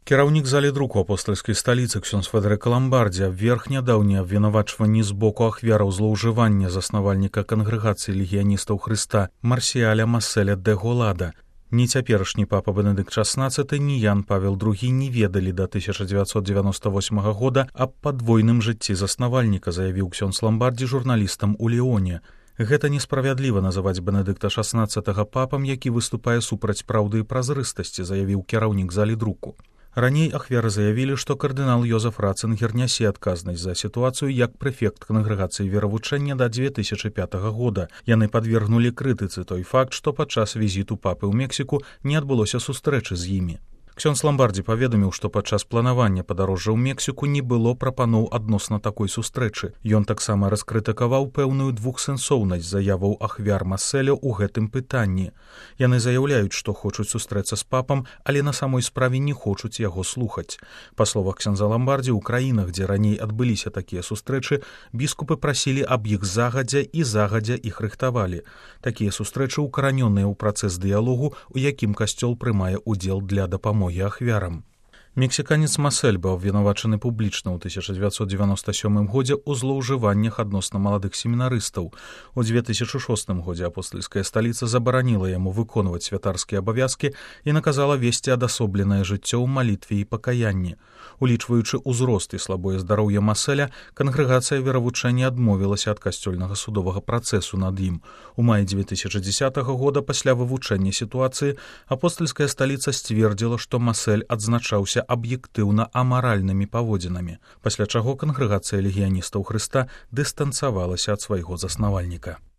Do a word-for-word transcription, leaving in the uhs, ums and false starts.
Кіраўнік залі друку апостальскай сталіцы ксёндз Федэрыка Ламбардзі абверг нядаўнія абвінавачванні з боку ахвяраў злоўжывання заснавальніка кангрэгацыі легіяністаў Хрыста Марсіяля Масселя де Голада. Ні цяперашні папа Бенедыкт шаснаццаты, ні Ян Павел другі не ведалі да тысяча дзевяцьсот дзевяноста восьмага года аб падвойным жыцці заснавальніка, заявіў ксёндз Ламбардзі журналістам у Леоне. Гэта несправядліва называць Бенедыкта шаснаццатага папам, які выступае супраць праўды і празрыстасці, заявіў кіраўнік залі друку. Раней ахвяры заявілі, што кардынал Йозеф Ратцынгер нясе адказнасць за сітуацыю як прэфект кангрэгацыі веравучэння да дзве тысячы пятага года. Яны падвергнулі крытыцы той факт, што падчас візіту папы ў Мексіку не адбылося сустрэчы з імі. Ксёндз Ламбардзі паведаміў, што падчас планавання падарожжа ў Мексіку не было прапаноў адносна такой сустрэчы. Ён таксама раскрытыкаваў пэўную двухсэнсоўнасць заяваў ахвяр Масселя ў гэтым пытанні. Яны заяўляюць, што хочуць сустрэцца з папам, але на самой справе не хочуць яго слухаць. Па словах ксёндза Ламбардзі, у краінах, дзе раней адбыліся такія сустрэчы, біскупы прасілі аб іх загадзя і загадзя іх рыхтавалі. Такія сустрэчы укаранёныя ў працэс дыялогу, у якім касцёл прымае ўдзел для дапамогі ахвярам. Мексіканец Масель быў абвінавачаны публічна ў тысяча дзевяцьсот дзевяноста сёмым годзе ў злоўжываннях адносна маладых семінарыстаў. У дзве тысячы шостым годзе апостальская сталіца забараніла яму выконваць святарскія абавязкі і наказала весці адасобленае жыццё ў малітве і пакаянні. Улічваючы ўзрост і слабое здароўе Маселя, кангрэгацыя веравучэння адмовілася ад касцёльнага судовага працэсу над ім. У маі дзве тысячы дзесятага года пасля вывучэння сітуацыі апостальская сталіца сцвердзіла, што Масель адзначаўся аб'ектыўна амаральнымі паводзінамі, пасля чаго кангрэгацыя легіяністаў Хрыста дыстанцавалася ад свайго заснавальніка.